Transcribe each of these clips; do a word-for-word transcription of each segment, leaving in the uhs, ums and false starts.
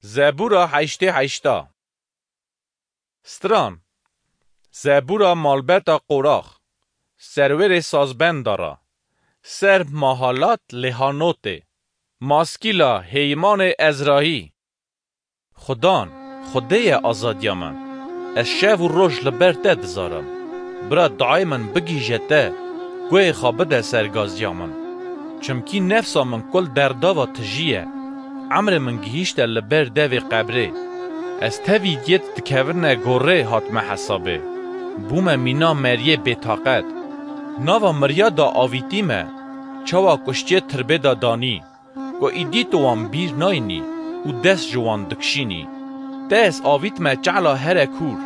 Zebûra heştê heşta. Stran. Zebûra malbeta Qorax. Serwerê sazbenda ra. Ser Mahalat lê Hanotê. Maskîla Heymanê Ezrahî. Xudan, Xwedê ye azadiya min. Ez şev û roj li ber te dizarim. Bira, duayê min bigihîje te, guhê xwe bide ser gaziya min. Çimkî nefsa min kul derdava tijî ye. Emrê min gihîşte li ber devê qebrê. Ez tevî yêt dikevine gorê hatime hesabê. Bûme mîna meriyê bêtaqet. Nava miriya da avîtî me, çawa kuştiyê tirbê da danî. Ku îdî tu wan bîr nayînî û dest ji wan dikişînî. Te ez avîtime çehla here kûr,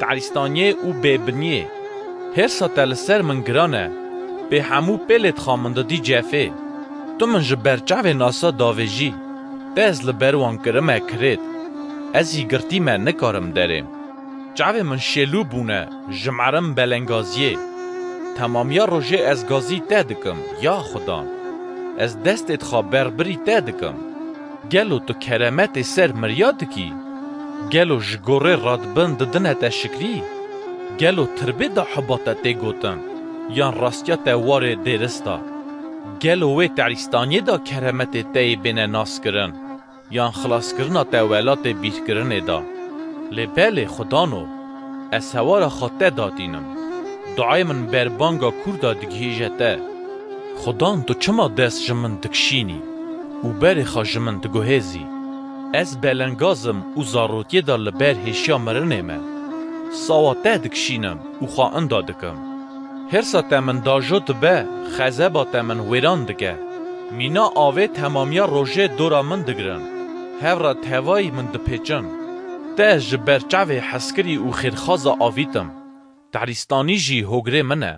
tarîstaniyê û bêbiniyê. Hêrsa te li ser min giran e, pê hemû pêlê dixa min didî cefê. Tu min ji ber çavê nasa davêjî, te ez li ber wan kirime kirêt. Ez jî girtî me nikarim derêm. Çavê min şêlû bûne, ji merim belengaziyê. Temamiya rojê ez gazî te dikim, ya Xudan. Ez destê dixa berbirî te dikim. Gelo tu keremetê ser miriya dikî? Gelo ji gorê radibin didine te şikrî? Gelo tirbê da hiba te tê gotin, yan rastiya te warê dêrista? Gelo wê terîstaniyê da keremetê te yê bêne naskirin, yan xilaskirina te welatê bîrkirinê da? Lê belê Xudano, ez hewara xwe te datînim. Duayê min berbanga kûr da digihîje te. Xudan, tu çima dest ji min dikişînî û berê xwe ji min diguhêzî? Ez belengaz im û zarokiyê de li ber hêşiya mirinê me. Sawa te dikişînim û xwe inda dikim. Hêrsa te min dajo dibe, xezeba te min wêran dike. Mîna avê temamiya rojê dora min digirin. Hev re tevayî min dipêçin. Te ez ji ber çavê hezkirî û xêrxaza avîtim. Tarîstanî jî hogirê min e.